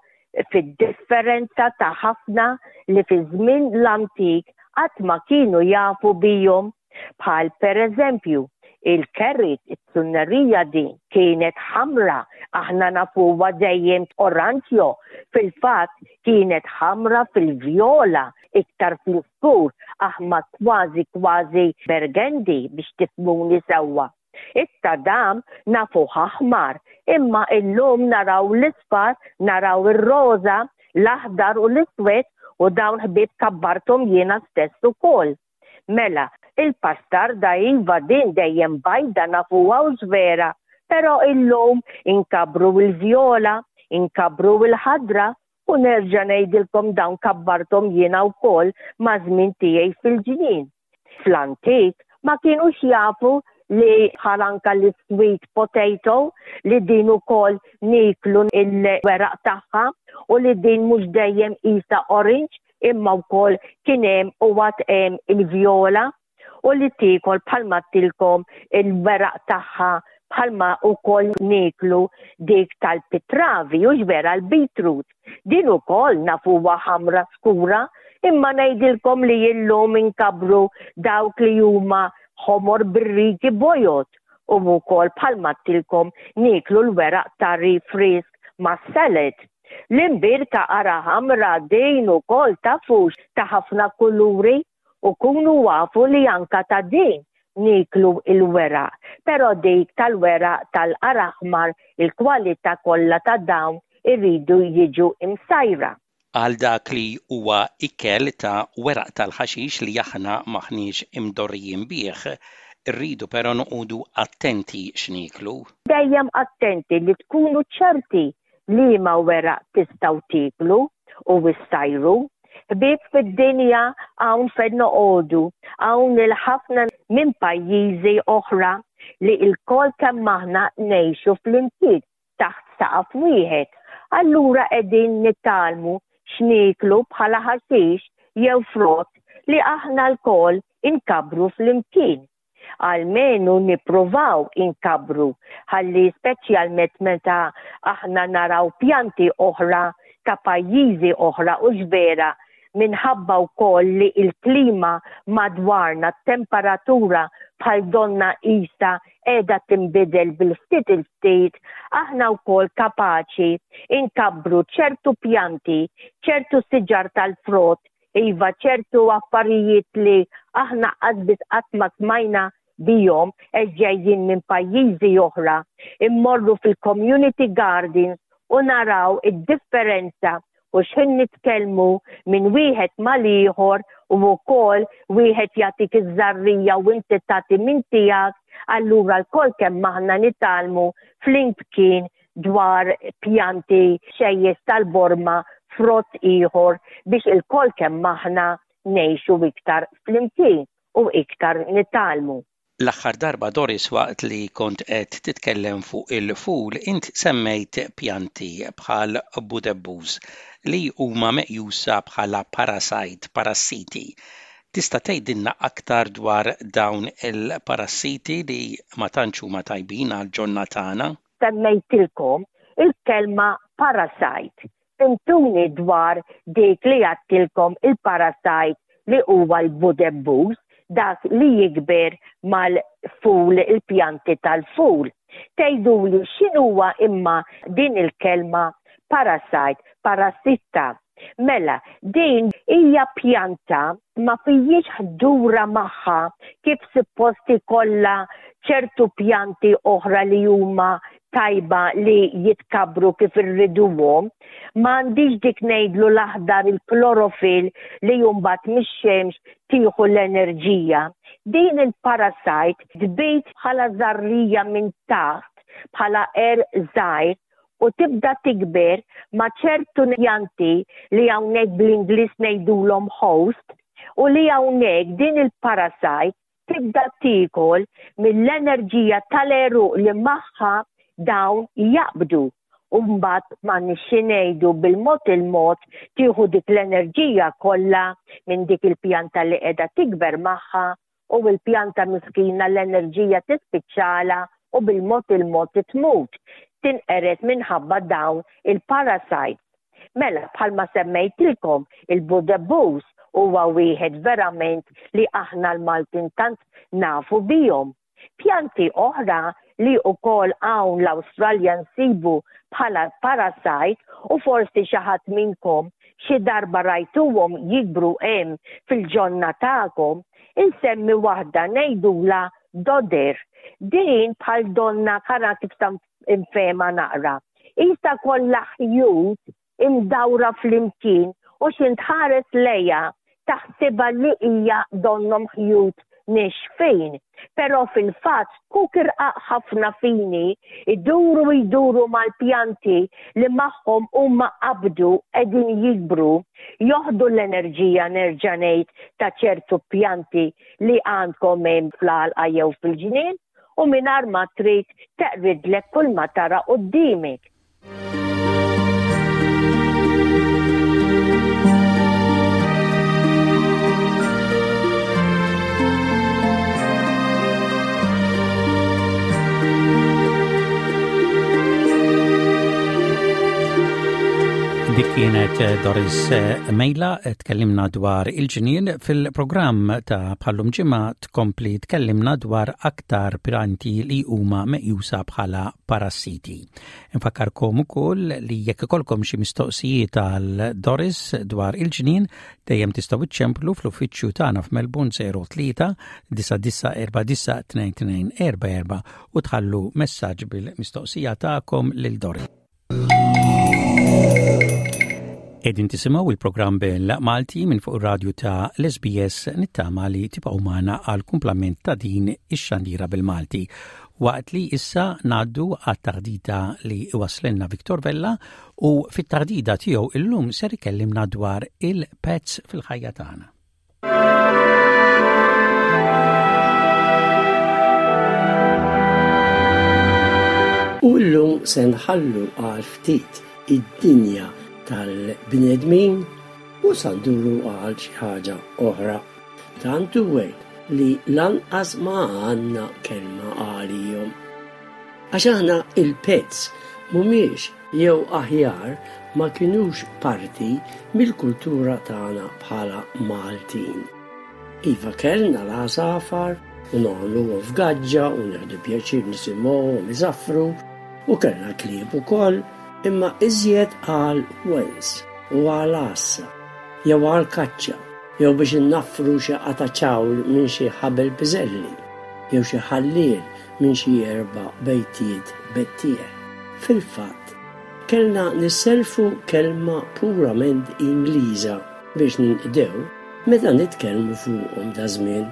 fid-differenza ta' ħafna li fi żmien l-antik qatt ma kienu jafu bihom bħal pereżempju il-carrot, it-tunnerija din kienet ħamra, aħna nafuha dejjem oranġjo, fil-fatt kienet ħamra fil-vjola, iktar fl-iskur, aħmar kważi kważi burgundy biex tifhmuni sewwa. It-tadam nafuh aħmar, imma illum naraw l-isfar, naraw ir-roża, l-aħdar u l-iswed u dawn ħbieb kabbarthom jiena stess ukoll. Mela, il-pastarda iva din dejjem bajda nafuha hux vera, però illum inkabbru l-vjola, inkabbru l-ħadra u nerġa' ngħidilkom dawn kabbarthom jiena wkoll maż-żmien tiegħi fil-ġnien. Fl-antik ma kienux jafu li bħal anka l-sweet potato li din ukoll niklu il-weraq tagħha u li din mhux dejjem isa orange imma wkoll kien hemm u għad hemm il-vjola u li tiekol bħalma għedtilkom il-weraq tagħha bħalma wkoll nieklu dik tal-pitravi hux vera l-beetroot. Din ukoll nafuha ħamra skura imma ngħidilkom li illum inkabbru dawk li huma ħomor bir-rigi bojod u wkoll bħalma għedtilkom nieklu l-weraq tari frisk mas-salad. L-imbirka ara ħamra din ukoll tafux ta' ħafna kuluri u kunu afu li anka ta' din nieklu il-weraq, pero dik tal-weraq tal-qar aħmar il-kwalità kollha ta' dawn iridu jiġu imsajra. Għal dak li huwa ikel ta' weraq tal-ħaxix li aħna m'aħniex imdorrijin bih, irridu pero noqogħdu attenti x'nieklu. Dejjem attenti li tkunu ċerti liema weraq tistgħu tieklu u issajru. Ħbieb fid-dinja hawn fejn noqogħdu, hawn il-ħafna minn pajjiżi oħra li lkoll kemm aħna ngħixu flimkien taħt saqaf wieħed. Allura qegħdin nitgħallmu x'nieklu bħala ħaxix jew frott li aħna lkoll inkabbru flimkien. Almenu nippruvaw inkabbru ħalli speċjalment meta aħna naraw pjanti oħra ta' pajjiżi oħra hux vera minħabba wkoll li l-klima madwarna, t-temperatura bħal donnha qisha qiegħda tinbidel bil-ftit il-ftit, aħna wkoll kapaċi nkabbru ċertu pjanti, ċertu siġar tal-frott Iva, ċertu affarijiet li aħna qas biss qatt ma smajna bihom għax ġejjin minn pajjiżi oħra, immorru fil-community gardens u naraw id-differenza u x'ħin nitkellmu minn wieħed mal-ieħor u wkoll wieħed jagħtik iż-żarrija u inti tagħti minn tiegħek, allura lkoll kemm aħna nitgħallmu flimkien dwar pjanti xejjes tal-borma frott ieħor biex ilkoll kemm aħna ngħixu iktar flimkien u iktar nitgħallmu. L-aħħar darba Doris waqt li kont qed titkellem fuq il-ful int semmejt pjanti bħal budebbuż li huma meqjusa bħala parasite, parassiti. Tista' tgħidilna aktar dwar dawn il-parassiti li ma tantx huma tajbin għall-ġonna tagħna? Semmejtilkom il-kelma parasite. Fhimtuni dwar dik li għadtilkom il-parasite li huwa l-budebbuż, dak li jikber mal-ful, il-pjanti tal-ful. Tgħiduli x'inhuwa imma din il-kelma parasite, parassitta? Mela, din hija pjanta ma fijiex ħdura magħha kif suppost ikollha ċertu pjanti oħra li huma tajba li jitkabbru kif irriduhom. Ma għandix dik ngħidlu l-aħdar il-klorofil li mbagħad mix-xemx tieħu l-enerġija. Din il-parasite tbid bħala żarrija minn taħt bħala għerq żgħir u tibda tikber ma' ċertu pjanti li hawnhekk bl-Ingliż ngħidulhom host u li hawnhekk din il-parasite. Tibda tiekol mill-enerġija tal-għeruq li magħha dawn jaqbdu u mbagħad m'għandniex xi ngħidu bil-mod il-mod tieħu dik l-enerġija kollha minn dik il-pjanta li qiegħda tikber magħha u l-pjanta miskina l-enerġija tispiċċalha u bil-mod il-mod tmut, tinqered minħabba dawn il-parasites. Mela bħalma semmejtilkom il-budebbus huwa wieħed verament li aħna l-Maltin tant nafu bihom. Pjanti oħra li wkoll hawn l-Awstralja nsibu bħala parasite u forsi xi ħadd minnkom xi darba rajtuhom jikbru hemm fil-ġonna tagħkom, insemmi waħda ngħidulha dodder. Din bħal donna kara kif ta' infehma naqra. Qisha kollha ħjut imdawra flimkien u x'int tħares lejha taħsibha li hija donnhom ħjut nixfin. Però fil-fatt zkuk irqaq ħafna fini jduru jduru mal-pjanti li magħhom huma qabdu qegħdin jikbru, joħdu l-enerġija nerġa' ngħid ta' ċertu pjanti li għandkom hemm fl-għalqa jew fil-ġnien u mingħajr ma trid teqridlek kull ma tara quddiemek. Dik kienet eh, Doris eh, Mejla eh, tkellimna dwar il-ġnien fil-programm ta' bħallum ġimgħa tkompli tkellimna dwar aktar pjanti li huma meqjusa bħala parassiti. Infakkarkom ukoll li jekk ikolkom xi mistoqsijiet għal Doris dwar il-ġnien, dejjem tistgħu iċċemplu fl-uffiċċju tagħna f'Melbourne 03 9949 2244 u tħallu messaġġ bil-mistoqsija tagħkom lil Doris. Edin tisimaw il-programm bil-Malti minn fuq ir-radju ta' l-SBS nittama li tibqgħu magħna għal kumplament ta' din ix-xandira bil-Malti. Waqt li issa ngħaddu għat-taħdita li iwasslilna Victor Vella u fit-taħdida tiegħu illum ser ikellimna dwar il-pets fil-ħajja tagħna. U llum se nħallu għal ftit id-dinja tal-bnedmin u sa nduru għal xi ħaġa oħra. Tant hu hekk li lanqas ma għandna kelma għalihom. Għax aħna il-pets mhumiex jew aħjar ma kinux parti mill-kultura tagħna bħala Maltin. Iva kellna l-għasafar u nagħmluhom f'gaġġa u nieħdu pjaċir nisimgħuhom iżaffru u kellna klieb ukoll imma iżjed għal wens u għal għassa jew għal kaċċa jew biex innaffru xi qatgħa ċawl minn xi ħabel piżelli jew xi ħalliel minn xi erba' bejtiet bettieħ. Fil-fatt, kellna nissellfu kelma purament Ingliża biex ninqdew meta nitkellmu fuqhom daż-żmien.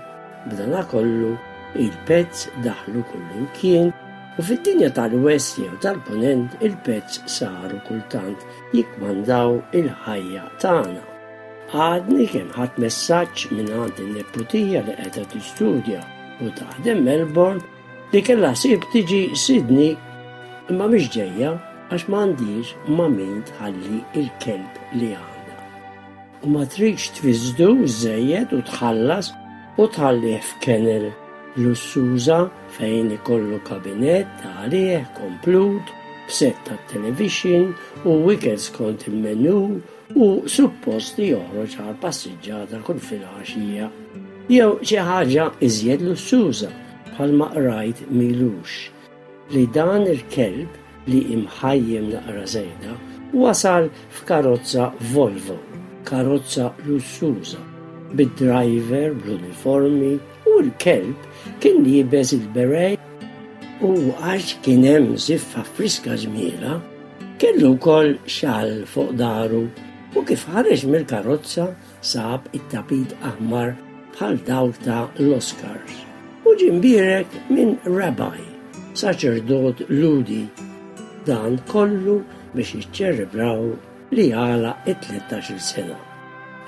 B'danakollu, il-pets daħlu kullimkien u fid-dinja tal-West jew tal-Punent il-pets saru kultant jikkmandaw il-ħajja tagħna. Għadni kemm ħadt messaġġ mingħand in-neputija li qiegħda tistudja u taħdem Melbourne li kellha ħsieb tiġi Sydney imma mhix ġejja għax m'għandhiex ma' min tħalli l-kelb li għandha. U ma tridx tfissdu żżejjed u tħallas u tħallih f'kennel lussuża fejn ikollu kabinett għalih komplut b'sett tat-televixin u ikel skont il-menu u suppost li joħroġ għal passiġġata kull filgħaxija jew xi ħaġa iżjed lussuża bħalma qrajt m'ilux li dan il-kelb li imħajjem naqra żejda wasal f'karozza Volvo, karozza lussuża, bid-driver bl-uniformi u l-kelb kien liebes il-beret u għax kien hemm żiffa friska ġmiela Kellu wkoll xall fuq daru u kif ħareġ mill-karozza sab it-tapit aħmar bħal dawk ta' l-Oscars u ġie mbierek minn rabbi, saċerdot Lhudi. Dan kollu biex jiċċelebraw li għalaq it-tlettax-il sena.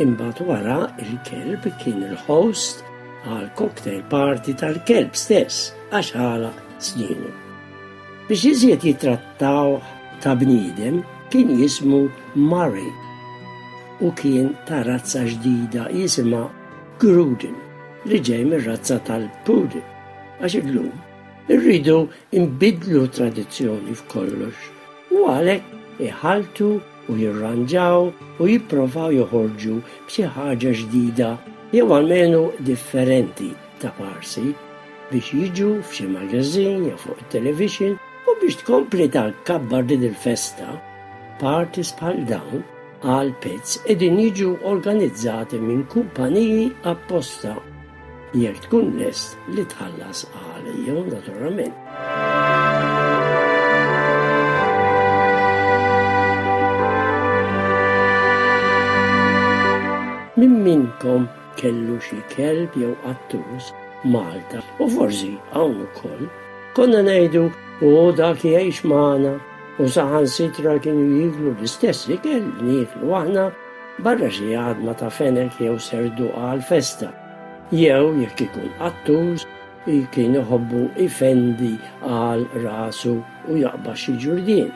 Imbagħad wara il-kelb kien il-host. għal cocktail party tal-kelb stess għax għalaq snienu. Biex iżjed jittrattawh ta' bniedem kien jismu Murray u kien ta' razza ġdida jisimha Gruden li ġej mir-razza tal-Poodle għax illum irridu nbiddlu tradizzjoni f'kollox u għalhekk iħalltu u jirranġaw u jipprovaw joħorġu b'xi ħaġa ġdida jew almenu differenti ta' parsi biex jiġu f'xi magazine jew fuq it-television u biex tkompli tkabbar din il-festa. Parties bħal dawn għal pets qegħdin jiġu organizzati minn kumpaniji apposta jekk tkun lest li tħallas għalihom naturalment. Min minnkom kellu xi kelb jew qattus Malta u forsi hawn ukoll, konna ngħidu u dak jgħix magħna u saħansitra kienu jieklu l-istess ikel li nieklu aħna barra xi għadma ta' fenek jew serduqa għall-festa. Jew jekk ikun qattus kien iħobbu jfendi għal rasu u jaqbad xi ġurdien.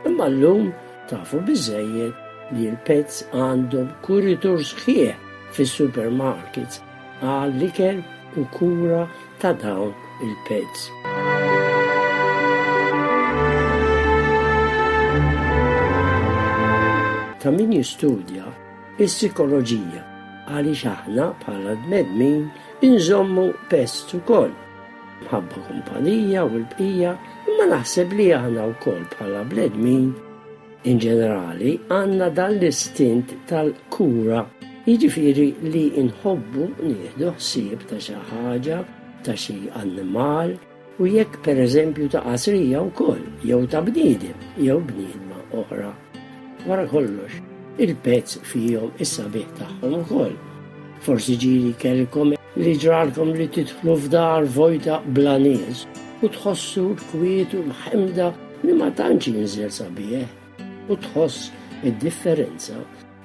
Imma llum tafu biżżejjed li l-pets għandhom kuritur sħiħ fis-supermarkets għall-ikel u kura ta' dawn il-pets. Ta' min jistudja is-sikoloġija għaliex aħna bħala bnedmin inżommu pets ukoll. Mħabba kumpanija u l-bqija, imma naħseb li aħna wkoll bħala bnedmin in ġenerali għandna dan l-istint tal-kura, jiġifieri li nħobbu nieħdu ħsieb ta' xi ħaġa, ta' xi annimal, u jekk pereżempju ta' qasrija wkoll, jew ta' bniedem jew bniedma oħra. Wara kollox, il-pets fihom is-sabiħ tagħhom ukoll. Forsi ġieli kellkom li ġralkom li tidħlu f'dar vojta bla nies u tħossu l-kwiet u l-ħemda li ma tantx jinżel sabiħ u tħoss id-differenza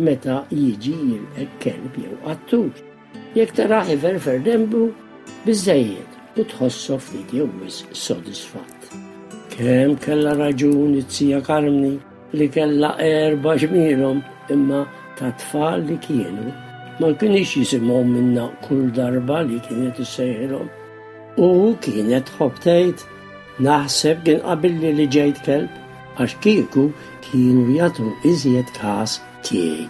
meta jiġi jilqek kelb jew qattus. Jekk tarah iferfer denbu, biżżejjed u tħossok ftit jew wisq sodisfatt. Kemm kellha raġun it-tija Karmni li kellha erbgħa ġmielhom imma ta' tfal li kienu ma kinux jisimgħu minnha kull darba li kienet issejħilhom. U kienet tħobb tgħid, naħseb kien qabilli li ġejt kelb għax kieku kienu jagħtu iżjed każ tiegħi.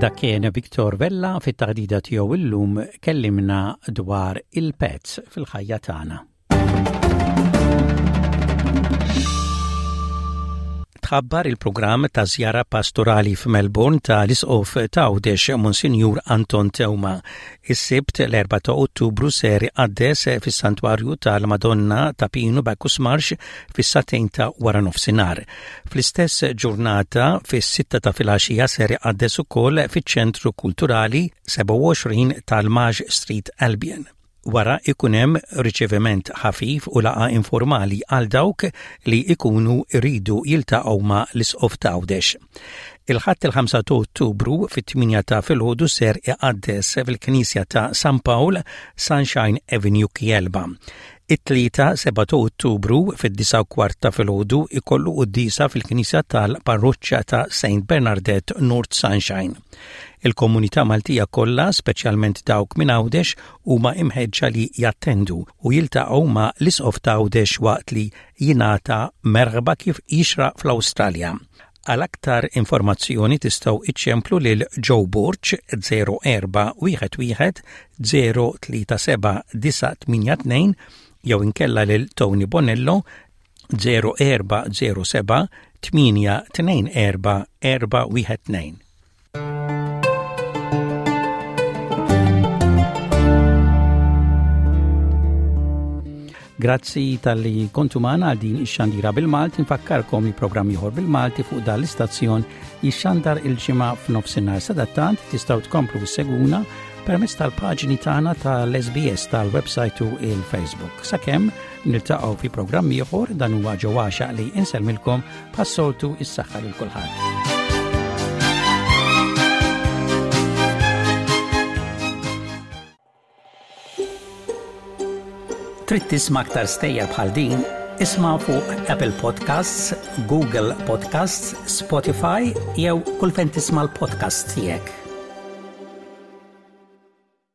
Dak kien Victor Vella fit-taħdida tiegħu illum kellimna dwar il-pets fil-ħajja tagħna. Tħabbar il-programm ta' żjara pastorali f'Melbourne ta' l-Isqof ta' Għawdex Monsinjur Anton Teuma. Is-Sibt l-4 ta' Ottubru ser iqaddes fis-Santwarju tal-Madonna ta' Pinu Bacchus Marsh fis-sagħtejn ta' waranofsinhar. Fl-istess ġurnata fis-sitta ta' filgħaxija ser iqaddes ukoll fiċ-Ċentru Kulturali 27 tal-Maj Street Albion. Wara ikun hemm riċeviment ħafif u laqgħa informali għal dawk li ikunu jridu jiltaqgħu ma' l-Isqof t'Għawdex. Il-Ħadd il-5 ta' Ottubru fit-8 ta' filgħodu ser iqaddes fil-Knisja ta' San Pawl, Sunshine Avenue Kielba. It-Tlieta 7 ta' Ottubru fid-9 kwart ta' filgħodu ikollu quddiesa fil-Knisja tal-Parroċċa ta' St. Bernardette North Sunshine. Il-komunità Maltija kollha, speċjalment dawk minn Għawdex, huma imħeġġa li jattendu u jiltaqgħu ma' l-Isqof ta' Għawdex waqt li jingħata merħba kif jixraq fl-Awstralja. Għal aktar informazzjoni tistgħu iċċemplu lil Joe Borg 0411 037 982 jew inkella lil Tony Bonello 0407 824 412. Grazzi tal-li kontu maħna għal din ix-xandira bil-Malti, nfakkarkom li programm ieħor bil-Malti fuq dan l-istazzjon jixxandar il-ġimgħa f'nofsinhar. Sadattant tistgħu tkomplu seguna permezz tal-paġni tagħna tal-SBS tal-website u il-Facebook. Sakemm Niltaqgħu fi programm ieħor dan huwa ġewwaxa li insellmilkom bħas-soltu is-saħħa lil kulħadd. Trid tisma' aktar stejjer bħal din? Isma' fuq Apple Podcasts, Google Podcasts, Spotify jew kull fejn tisma' l-podcasts tiegħek.